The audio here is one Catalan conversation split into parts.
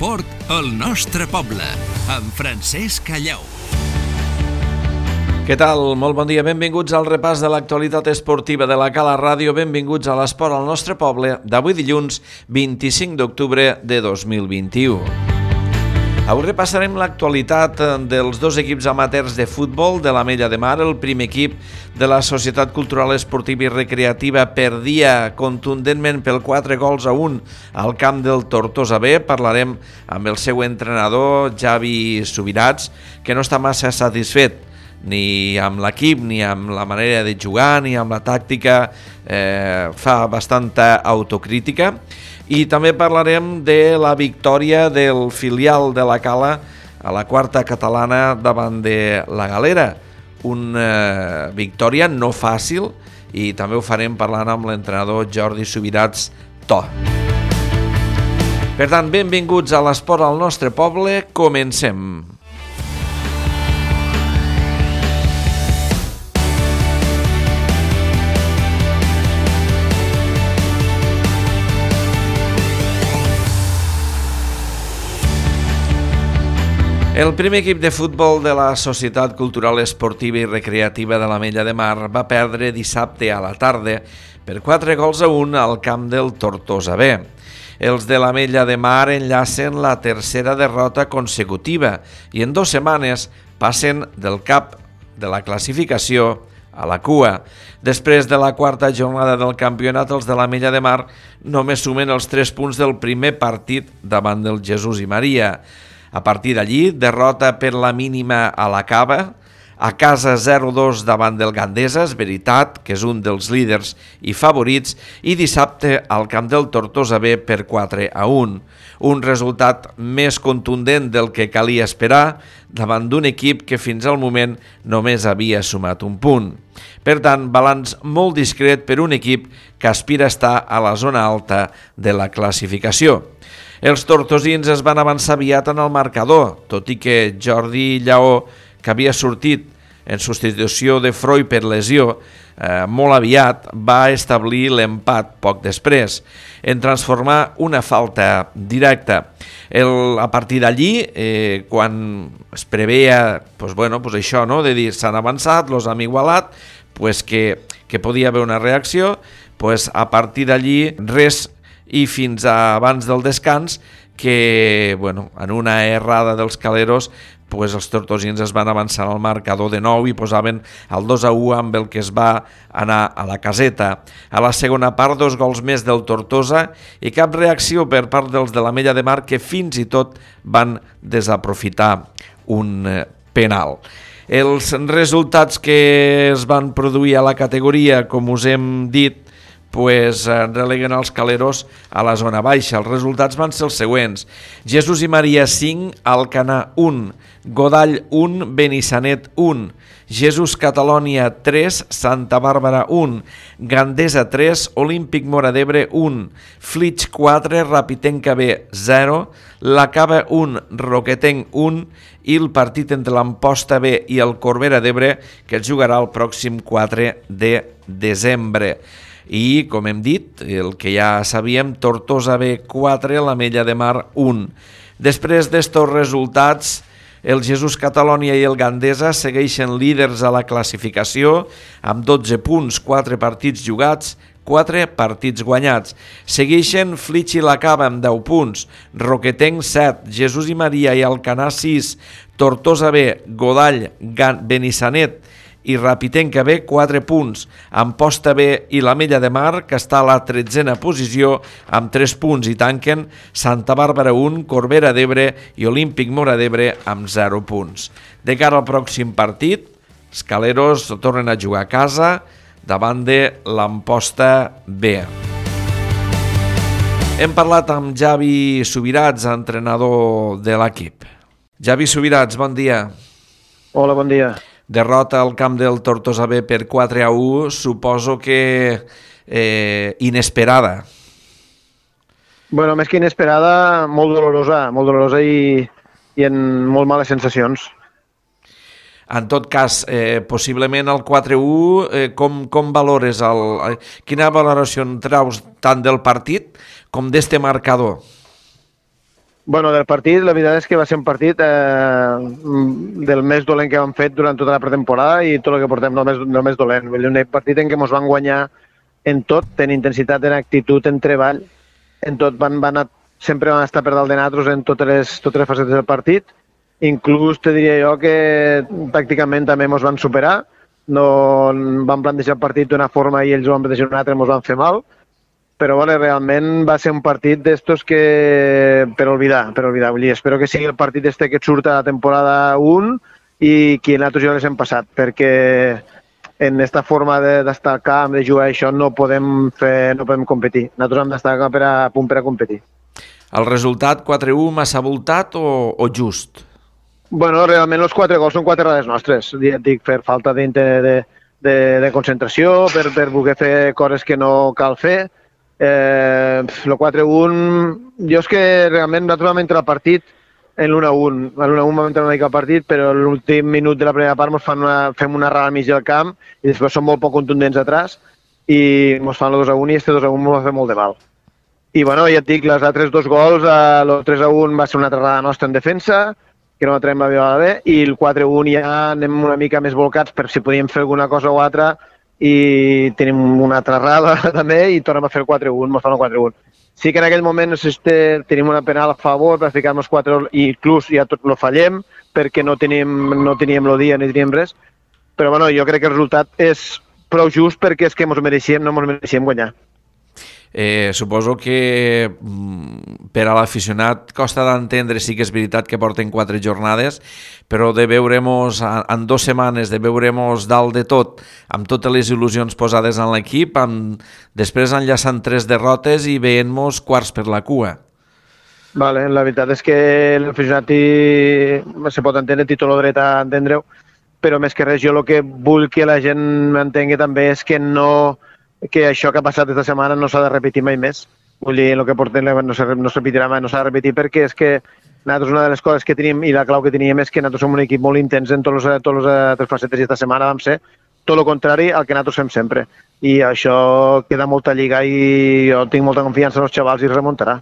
L'esport al nostre poble, amb Francesc Callau. Què tal? Molt bon dia, benvinguts al repàs de l'actualitat esportiva de la Cala Ràdio, benvinguts a l'esport al nostre poble d'avui dilluns 25 d'octubre de 2021. Avui repassarem l'actualitat dels dos equips amateurs de futbol de l'Ametlla de Mar. El primer equip de la Societat Cultural Esportiva i Recreativa perdia contundentment per 4-1 al camp del Tortosa B. Parlarem amb el seu entrenador, Javi Subirats, que no està massa satisfet ni amb l'equip, ni amb la manera de jugar, ni amb la tàctica, fa bastanta autocrítica. I també parlarem de la victòria del filial de la Cala a la quarta catalana davant de la Galera. Una victòria no fàcil i també ho farem parlant amb l'entrenador Jordi Subirats To. Per tant, benvinguts a l'esport al nostre poble, comencem. El primer equip de futbol de la Societat Cultural Esportiva i Recreativa de l'Ametlla de Mar va perdre dissabte a la tarda per 4-1 al camp del Tortosa B. Els de l'Ametlla de Mar enllacen la tercera derrota consecutiva i en 2 setmanes passen del cap de la classificació a la cua. Després de la quarta jornada del campionat, els de l'Ametlla de Mar només sumen els 3 punts del primer partit davant del Jesús i Maria. A partir d'allí, derrota per la mínima a la Cava, a casa 0-2 davant del Gandesa, és veritat que és un dels líders i favorits, i dissabte al camp del Tortosa B per 4-1. Un resultat més contundent del que calia esperar davant d'un equip que fins al moment només havia sumat un punt. Per tant, balanç molt discret per un equip que aspira a estar a la zona alta de la classificació. Els tortosins es van avançar aviat en el marcador, tot i que Jordi Lleó, que havia sortit en substitució de Freud per lesió, molt aviat va establir l'empat poc després, en transformar una falta directa. A partir d'allí, quan es preveia això, no? De dir s'han avançat, los hem igualat, que podia haver una reacció, a partir d'allí res, i fins abans del descans que, en una errada dels caleros, els tortosins es van avançar al marcador de nou i posaven el 2-1 amb el que es va anar a la caseta. A la segona part, 2 gols més del Tortosa i cap reacció per part dels de l'Ametlla de Mar, que fins i tot van desaprofitar un penal. Els resultats que es van produir a la categoria, com us hem dit, releguen els caleros a la zona baixa. Els resultats van ser els següents: Jesús i Maria 5, Alcanar 1, Godall 1, Benissanet 1, Jesús Catalònia 3, Santa Bàrbara 1, Gandesa 3, Olímpic Móra d'Ebre 1, Flix 4, Rapitenca B 0, La Cava 1, Roquetenc 1 i el partit entre l'Amposta B i el Corbera d'Ebre, que es jugarà el pròxim 4 de desembre. I, com hem dit, el que ja sabíem, Tortosa B 4, l'Ametlla de Mar 1. Després d'estos resultats, el Jesús Catalònia i el Gandesa segueixen líders a la classificació amb 12 punts, 4 partits jugats, 4 partits guanyats. Segueixen Flix i la Cava amb 10 punts, Roquetenc 7, Jesús i Maria i Alcanar 6, Tortosa B, Godall, Benissanet i Rapitenca B 4 punts, Amposta B i l'Ametlla de Mar, que està a la 13a posició amb 3 punts, i tanquen Santa Bàrbara 1, Corbera d'Ebre i Olímpic Móra d'Ebre amb 0 punts. De cara al pròxim partit, els caleros tornen a jugar a casa davant de l'Amposta B. Hem parlat amb Javi Subirats, entrenador de l'equip. Javi Subirats, bon dia. Hola, bon dia. Derrota al camp del Tortosa B per 4-1, suposo que inesperada. Més que inesperada, molt dolorosa i amb molt males sensacions. En tot cas, possiblement el 4-1, com valores quina valoració en traus tant del partit com d'este marcador? Bueno, del partit, la veritat és que va ser un partit del més dolent que hem fet durant tota la pretemporada i tot el que portem del més dolent. Vull dir, un partit en què ens van guanyar en tot, en intensitat, en actitud, en treball, en tot sempre van estar per dalt de nosaltres en totes les facetes del partit. Inclús te diria jo que pràcticament també ens van superar. No van plantejar el partit d'una forma i ells ho van plantejar d'una altra i ens van fer mal. Però bueno, realment va ser un partit d'estos que per oblidar. Vull dir, espero que sigui el partit que surt a la temporada 1 i que nosaltres ja les hem passat, perquè en aquesta forma d'estar al camp, de jugar això, no podem competir. Nosaltres hem d'estar a punt per a competir. El resultat 4-1 massa voltat o just? Bueno, realment els 4 gols són 4 errades nostres. Ja et dic, per falta de concentració, per voler fer coses que no cal fer. El 4-1, jo és que realment nosaltres vam entrar al partit en l'1-1. A l'1-1 vam entrar una mica al partit, però a l'últim minut de la primera part fem una errada al mig del camp i després som molt poc contundents atrás i ens fan el 2-1 i este 2-1 ens va fer molt de mal. I bueno, ja et dic, les altres 2 gols, el 3-1 va ser una altra errada nostra en defensa, que no la traiem la viola bé, i el 4-1 ja anem una mica més volcats per si podíem fer alguna cosa o altra i tenim una altra errada també i tornem a fer el 4-1, ens fan el 4-1. Sí que en aquell moment tenim una penal a favor per ficar-nos 4 i inclús ja tot lo fallem perquè no teníem el dia ni teníem res, però bueno, jo crec que el resultat és prou just perquè és que no ens mereixíem guanyar. Suposo que per a l'aficionat costa d'entendre, sí que és veritat que porten 4 jornades, però de veure-mos en 2 setmanes, de veure-mos dalt de tot, amb totes les il·lusions posades en l'equip, després enllaçant 3 derrotes i veient-mos quarts per la cua. Vale, la veritat és que l'aficionat se pot entendre, té tot el dret a entendre-ho, però més que res jo el que vull que la gent entengui també és que que això que ha passat aquesta setmana no s'ha de repetir mai més. Vull dir, el que portem no se repetirà mai, no s'ha de repetir perquè és que nosaltres una de les coses que tenim i la clau que teníem és que nosaltres som un equip molt intens en totes les altres facetes i aquesta setmana vam ser tot el contrari al que nosaltres fem sempre. I això queda molta lliga i jo tinc molta confiança en els xavals i remuntarà.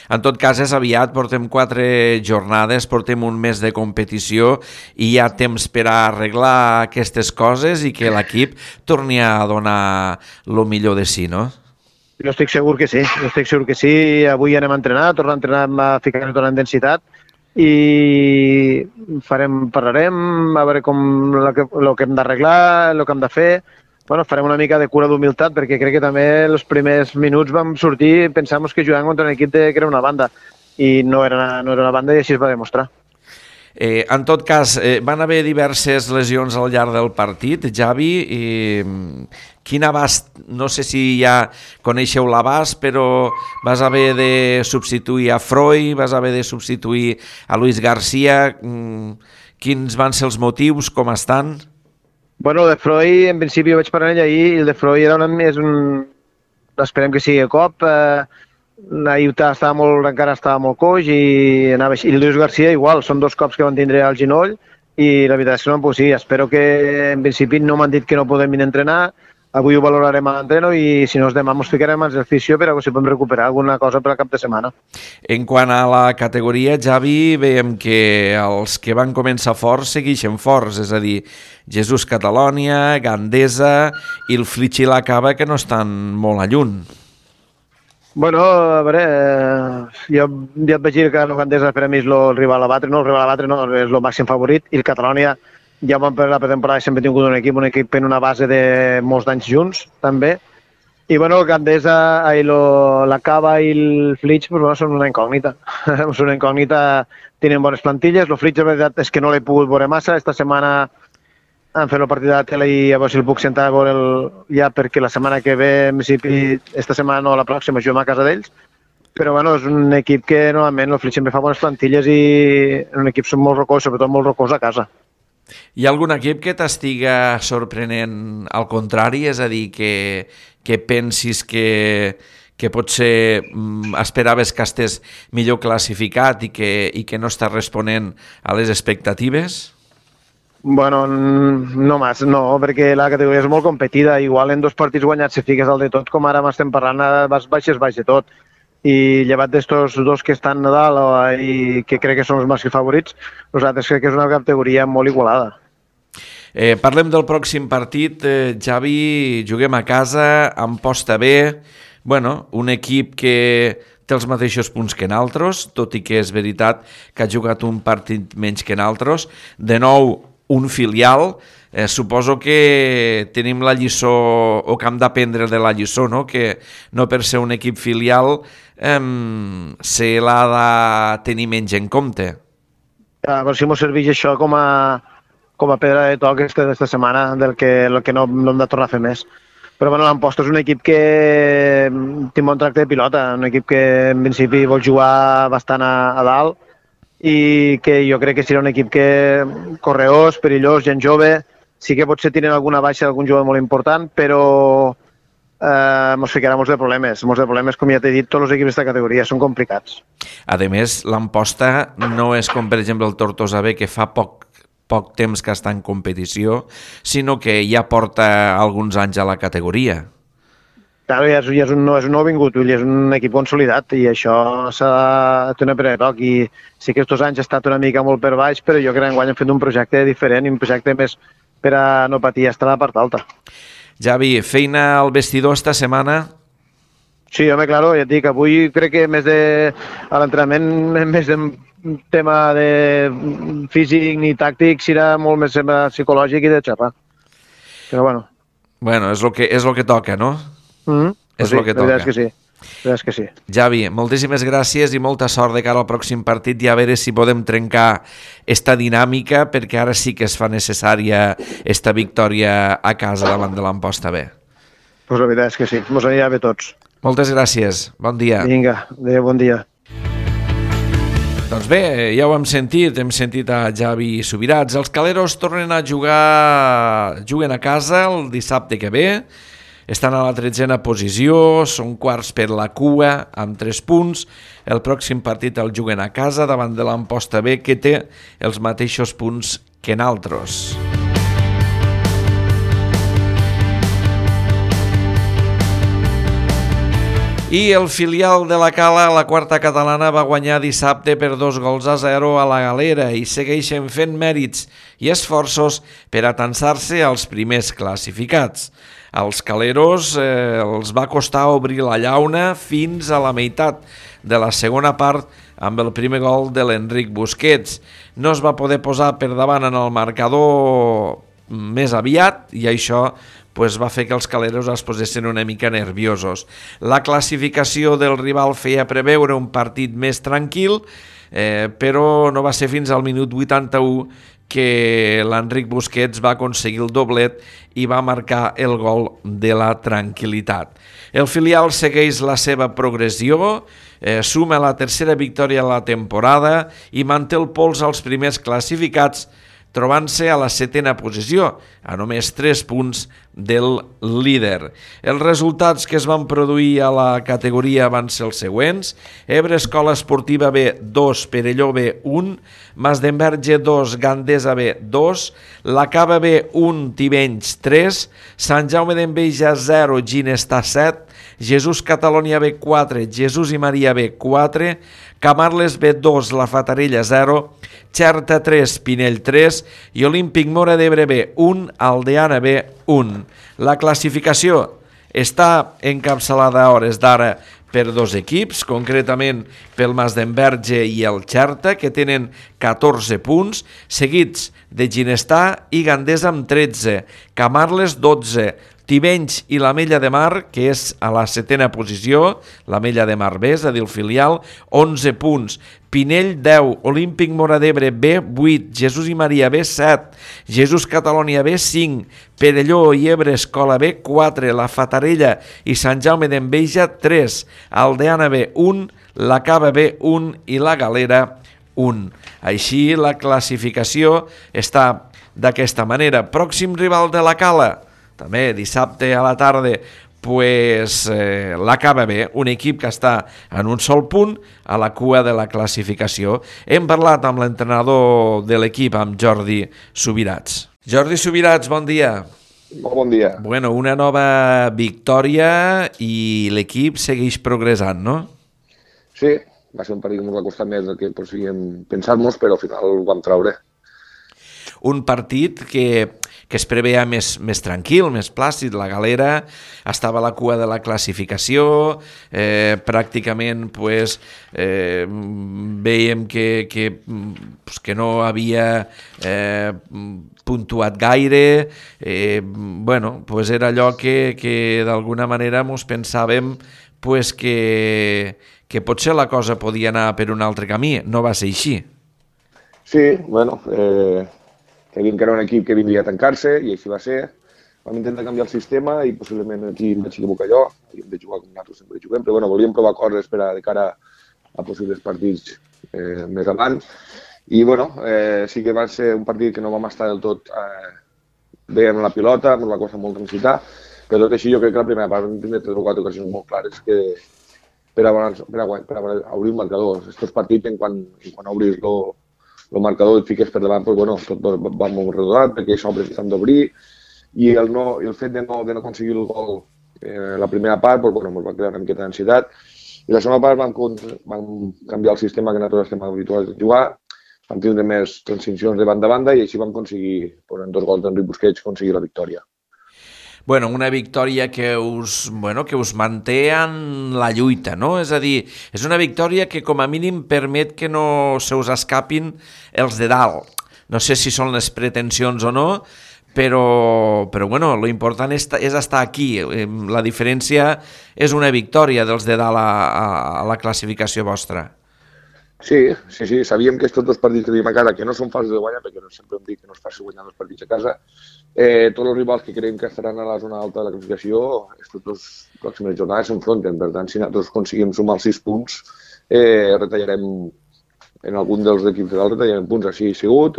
En tot cas, és aviat, portem 4 jornades, portem un mes de competició i hi ha temps per a arreglar aquestes coses i que l'equip torni a donar el millor de si, no? Jo estic segur que sí, avui anem a entrenar, tornem a entrenar, a ficar-nos tota la intensitat i parlarem a veure com el que hem d'arreglar, el que hem de fer. Bueno, farem una mica de cura d'humilitat perquè crec que també els primers minuts vam sortir i pensàvem que jugàvem contra un equip que era una banda i no era una banda i així es va demostrar. En tot cas, van haver diverses lesions al llarg del partit. Javi, quin abast, no sé si ja coneixeu l'abast, però vas haver de substituir a Freud, vas haver de substituir a Luis García. Quins van ser els motius, com estan? Bueno, de Freud, en principi vaig parlar amb ell ahir, i el de Freud esperem que sigui cop. Ahir encara estava molt coix i anava així. I el Luis García igual, són 2 cops que van tindre al genoll i la veritat és que no em puc dir. Espero que en principi no m'han dit que no podem venir a entrenar. Avui ho valorarem a l'entreno i si no demà ens ficarem als del fisio per a si podem recuperar alguna cosa per al cap de setmana. En quant a la categoria, Javi, veiem que els que van començar forts segueixen forts, és a dir, Jesús Catalònia, Gandesa i el Flitx i la Cava, que no estan molt a lluny. Bueno, a veure, jo ja et vaig dir que el Gandesa per a mi és el rival a batre, no, és el màxim favorit, i el Catalònia ja vam per la pretemporada sempre tingut un equip en una base de molts d'anys junts, també. I bueno, el Gandesa, la Cava i el Flitx són una incògnita. Són una incògnita, tenen bones plantilles. El Flitx, la veritat, és que no l'he pogut veure massa. Esta setmana han fet el partit de la tele i a veure si el puc sentar a veure ja, perquè la setmana que ve, en principi, esta setmana no, la pròxima, juguem a casa d'ells. Però bueno, és un equip que normalment el Flitx sempre fa bones plantilles i és un equip molt rocós, sobretot molt rocós a casa. Hi ha algun equip que t'estiga sorprenent al contrari? És a dir, que pensis que potser esperaves que estigués millor classificat i que no està responent a les expectatives? Bueno, no, perquè la categoria és molt competida. Igual en 2 partits guanyats si fiques al de tot, com ara m'estem parlant, baix de tot. i llevat d'estos dos que estan a dalt i que crec que són els màxims favorits, nosaltres crec que és una categoria molt igualada. Parlem del pròxim partit. Javi, juguem a casa, Amposta B, un equip que té els mateixos punts que nosaltres, tot i que és veritat que ha jugat un partit menys que nosaltres. De nou, un filial. Suposo que tenim la lliçó, o que hem d'aprendre de la lliçó, no? Que no per ser un equip filial se l'ha de tenir menys en compte. A veure si ens serveix això com a pedra de toc aquesta setmana, del que no hem de tornar a fer més. Però l'Amposta és un equip que té un bon tracte de pilota, un equip que en principi vol jugar bastant a dalt i que jo crec que serà un equip que correós, perillós, gent jove. Sí que potser tenen alguna baixa d'algun jugador molt important, però ens ficarà molts de problemes. Molts de problemes, com ja t'he dit, tots els equips d'aquesta categoria són complicats. A més, l'Amposta no és com, per exemple, el Tortosa B, que fa poc temps que està en competició, sinó que ja porta alguns anys a la categoria. Claro, és un nouvingut, és un equip consolidat i això s'ha de tenir per toc. I sí que aquests anys ha estat una mica molt per baix, però jo crec que enguany hem fet un projecte diferent i un projecte més per a no patir estar a la part alta. Javi, feina al vestidor esta setmana? Sí, home, claro, ja et dic, avui crec que a l'entrenament, més de tema de físic ni tàctic, serà molt més psicològic i de xerrar. Però bueno. Bueno, és el que toca, no? És el que toca. La veritat és que sí. Javi, moltíssimes gràcies i molta sort de cara al pròxim partit i a veure si podem trencar esta dinàmica, perquè ara sí que es fa necessària esta victòria a casa davant de l'Amposta B. Pues la veritat és que sí, mos anirà bé tots. Moltes gràcies, bon dia. Vinga, bon dia. Doncs bé, ja ho hem sentit a Javi Subirats. Els Caleros tornen a juguen a casa el dissabte que ve, estan a la 13a posició, són quarts per la cua amb 3 punts. El pròxim partit el juguen a casa davant de l'Amposta B, que té els mateixos punts que nosaltres. I el filial de la Cala, la quarta catalana, va guanyar dissabte per 2-0 a la Galera i segueixen fent mèrits i esforços per atansar-se als primers classificats. Als caleros els va costar obrir la llauna fins a la meitat de la segona part amb el primer gol de l'Enric Busquets. No es va poder posar per davant en el marcador més aviat i això va fer que els caleros es posessin una mica nerviosos. La classificació del rival feia preveure un partit més tranquil, però no va ser fins al minut 81 que l'Enric Busquets va aconseguir el doblet i va marcar el gol de la tranquil·litat. El filial segueix la seva progressió, suma la tercera victòria a la temporada i manté el pols als primers classificats, trobant-se a la 7a posició, a només 3 punts del líder. Els resultats que es van produir a la categoria van ser els següents: Ebre Escola Esportiva B 2, Perelló B 1, Masdenverge 2, Gandesa B 2, La Cava B 1, Tivenys 3, Sant Jaume d'Enveja 0, Ginestar 7, Jesús Catalònia B 4, Jesús i Maria B 4, Camarles B 2, La Fatarella 0, Xerta 3, Pinell 3 i Olímpic Móra d'Ebre B 1, Aldeana B 1. La classificació està encapçalada a hores d'ara per 2 equips, concretament pel Masdenverge i el Xerta, que tenen 14 punts, seguits de Ginestar i Gandesa amb 13, Camarles 12, Tivenys i l'Ametlla de Mar, que és a la 7a posició, l'Ametlla de Mar B, és a dir, el filial, 11 punts. Pinell 10, Olímpic Móra d'Ebre B 8, Jesús i Maria B 7, Jesús Catalònia B 5, Perelló i Ebre Escola B 4, La Fatarella i Sant Jaume d'Enveja 3, Aldeana B 1, La Cava B 1 i La Galera 1. Així la classificació està d'aquesta manera. Pròxim rival de la Cala, també dissabte a la tarda, la Cava B, un equip que està en un sol punt a la cua de la classificació. Hem parlat amb l'entrenador de l'equip, amb Jordi Subirats. Jordi Subirats, bon dia. Bon dia. Bueno, una nova victòria i l'equip segueix progressant, no? Sí, va ser un partit que ens va costar més del que podíem pensar-nos, però al final ho vam traure. Un partit que es preveia més tranquil, més plàcid. La Galera estava a la cua de la classificació, pràcticament veiem que no havia puntuat gaire. Era allò que d'alguna manera ens pensàvem que potser la cosa podia anar per un altre camí. No va ser així. Sí, sabíem que era un equip que vindria a tancar-se i així va ser. Vam intentar canviar el sistema i possiblement aquí em vaig equivocar jo, i hem de jugar com nosaltres sempre juguem, però volíem provar coses de cara a possibles partits més avant. I sí que va ser un partit que no vam estar del tot bé en la pilota, ens va costar molt transitar, però tot així jo crec que la primera part vam tindre 3 o 4 ocasions molt clares per obrir el marcador. Aquests partits, quan obris el marcador i et fiques per davant, tot va molt redodat, perquè s'obre tant d'obrir, i el fet de no aconseguir el gol la primera part ens va crear una miqueta d'ansietat, i la segona part vam canviar el sistema que nosaltres estem habituats a jugar, vam tindre més transicions de banda a banda i així vam aconseguir, en 2 gols d'Enric Busquets, aconseguir la victòria. Una victòria que us manté en la lluita, no? És a dir, és una victòria que com a mínim permet que no se us escapin els de dalt. No sé si són les pretensions o no, però lo important és estar aquí. La diferència és una victòria dels de dalt a la classificació vostra. Sí, sabíem que aquests 2 partits que tenim a casa, que no són fàcils de guanyar, perquè sempre hem dit que no és fàcil guanyar 2 partits a casa, tots els rivals que creiem que estaran a la zona alta de la classificació, aquestes 2 pròximes jornades s'enfronten. Per tant, si nosaltres aconseguim sumar els 6 punts, retallarem, en algun dels equips de dalt retallarem punts. Així ha sigut,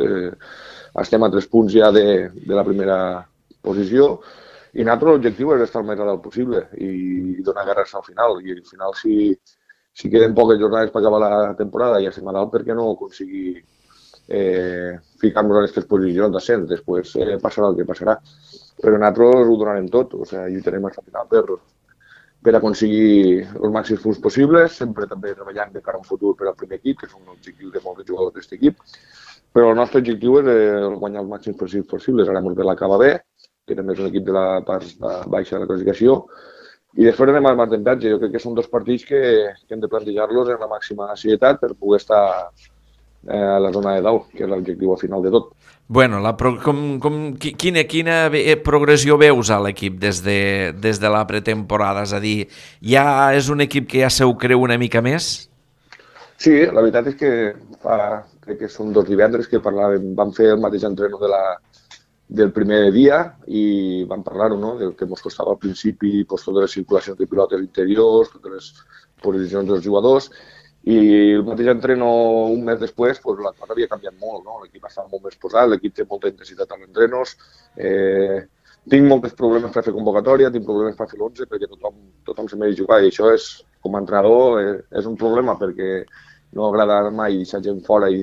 estem a 3 punts ja de la primera posició, i nosaltres l'objectiu és estar el més a dalt possible i donar guerra al final. I al final, si queden poques jornades per acabar la temporada i ja estem a dalt, per què no aconseguir ficar-nos en aquestes posicions d'ascens? Després passarà el que passarà. Però nosaltres ho donarem tot, lluitarem fins al final per aconseguir els màxims punts possibles, sempre també treballant de cara a un futur per al primer equip, que és un objectiu de molts jugadors d'aquest equip. Però el nostre objectiu és guanyar els màxims possibles. Ara ens ve l'Acaba B, que també és un equip de la part baixa de la classificació, i després anem al martemperatge. Jo crec que són 2 partits que hem de plantejar-los en la màxima serietat per poder estar a la zona de dalt, que és l'objectiu al final de tot. Quina progressió veus a l'equip des de la pretemporada? És a dir, ja és un equip que ja se ho creu una mica més? Sí, la veritat és que crec que són 2 divendres que vam fer el mateix entreno del primer dia i vam parlar-ho, no?, del que ens costava al principi, totes les circulacions de pilotes interiors, totes les posicions dels jugadors, i el mateix entreno un mes després, la cosa havia canviat molt, no? L'equip estava molt més posat, l'equip té molta intensitat als entrenos, tinc molts problemes per fer convocatòria, tinc problemes per fer l'11 perquè tothom se mereix jugar, i això com a entrenador és un problema perquè no agrada mai deixar gent fora de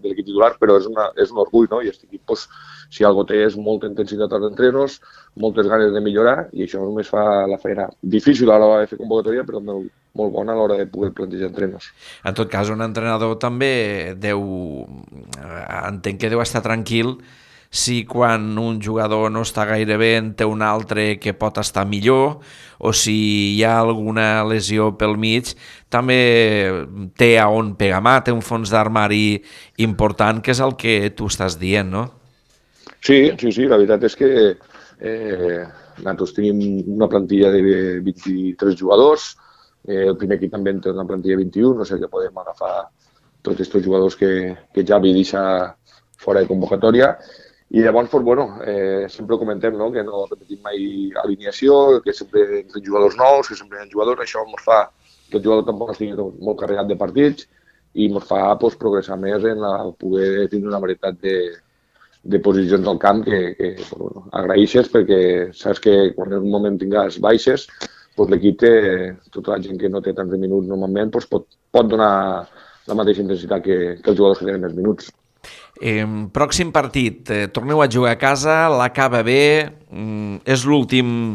l'equip titular, però és un orgull, no? I aquest equip, si algo té, és molta intensitat als entrenos, moltes ganes de millorar, i això només fa la feina difícil a l'hora de fer convocatòria, però molt bona a l'hora de poder plantejar entrenos. En tot cas, un entrenador també entenc que deu estar tranquil si quan un jugador no està gaire bé en té un altre que pot estar millor, o si hi ha alguna lesió pel mig, també té a on pegar mà, té un fons d'armari important, que és el que tu estàs dient, no? Sí, la veritat és que nosaltres tenim una plantilla de 23 jugadors, el primer equip també té una plantilla de 21, no sé que podem agafar tots aquests jugadors que Javi deixa fora de convocatòria, i llavors, sempre comentem, no?, que no repetim mai alineació, que sempre hi ha jugadors nous, que sempre hi ha jugadors, això ens fa que el jugador tampoc estigui molt carregat de partits i ens fa progressar més en poder tenir una varietat de posicions al camp que agraeixes, perquè saps que quan en un moment tingués baixes, l'equip té, tota la gent que no té tants minuts normalment, pot donar la mateixa intensitat que els jugadors que tenen més minuts. Pròxim partit, torneu a jugar a casa, l'Acaba B, és l'últim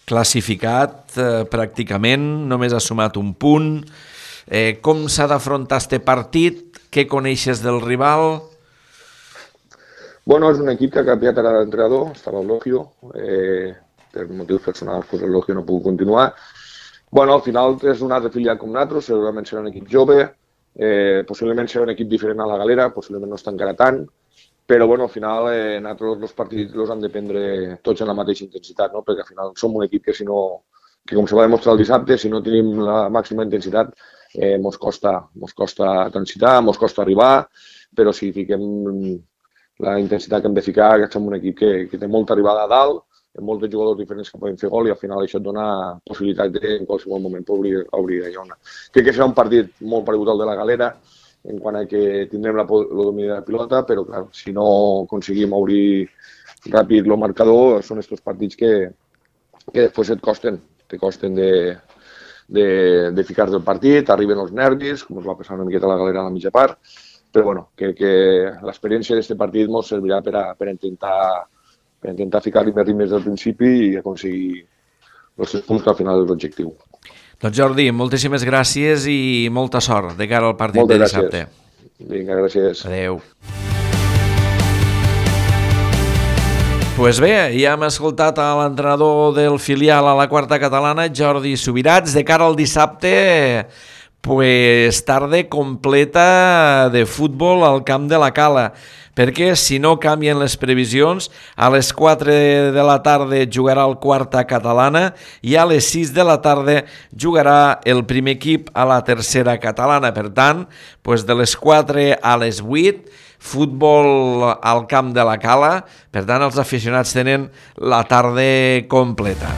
classificat pràcticament, només ha sumat un punt, Com s'ha d'afrontar este partit? Què coneixes del rival? Bueno, és un equip que ha canviat ara d'entrenador, estava el Logio, per motius personals el Logio no pugui continuar. Bueno, al final és un altre filial com nosaltres, segurament serà un equip jove, possiblement serà un equip diferent a la Galera, possiblement no està encara tant, però bueno, al final nosaltres els partits els hem de prendre tots en la mateixa intensitat, no? Perquè al final som un equip que que com se va demostrar el dissabte, si no tenim la màxima intensitat, mos costa transitar, mos costa arribar, però si fiquem la intensitat que hem de ficar, que som un equip que té molta arribada a dalt, amb molts jugadors diferents que poden fer gol i al final això et dona possibilitat de en qualsevol moment obrir la llona. Crec que serà un partit molt paregut al de la Galera, en quant a que tindrem el domini de la pilota, però clar, si no aconseguim obrir ràpid el marcador, són aquests partits que després te costen de ficar del partit, arriben els nervis, com es va passar una miqueta a la Galera a la mitja part, però bueno, que l'experiència d'aquest partit ens servirà per intentar ficar-li més ritmes del principi i aconseguir els 6 punts que al final és l'objectiu. Doncs Jordi, moltíssimes gràcies i molta sort de cara al partit de dissabte. Vinga, gràcies. Adéu. Pues bé, ja hem escoltat a l'entrenador del filial a la quarta catalana, Jordi Subirats, de cara al dissabte, pues tarda completa de futbol al camp de la Cala, perquè si no canvien les previsions, a les 4 de la tarda jugarà el quarta catalana i a les 6 de la tarda jugarà el primer equip a la tercera catalana. Per tant, pues de les 4 a les 8, futbol al camp de la Cala. Per tant, els aficionats tenen la tarda completa.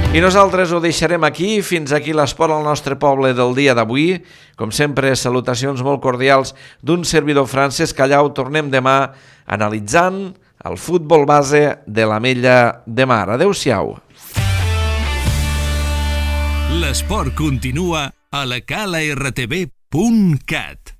I nosaltres ho deixarem aquí, fins aquí l'esport al nostre poble del dia d'avui. Com sempre, salutacions molt cordials d'un servidor Francesc Callau. Tornem demà analitzant el futbol base de l'Ametlla de Mar. Adéu-siau. L'esport continua a la cala rtv.cat.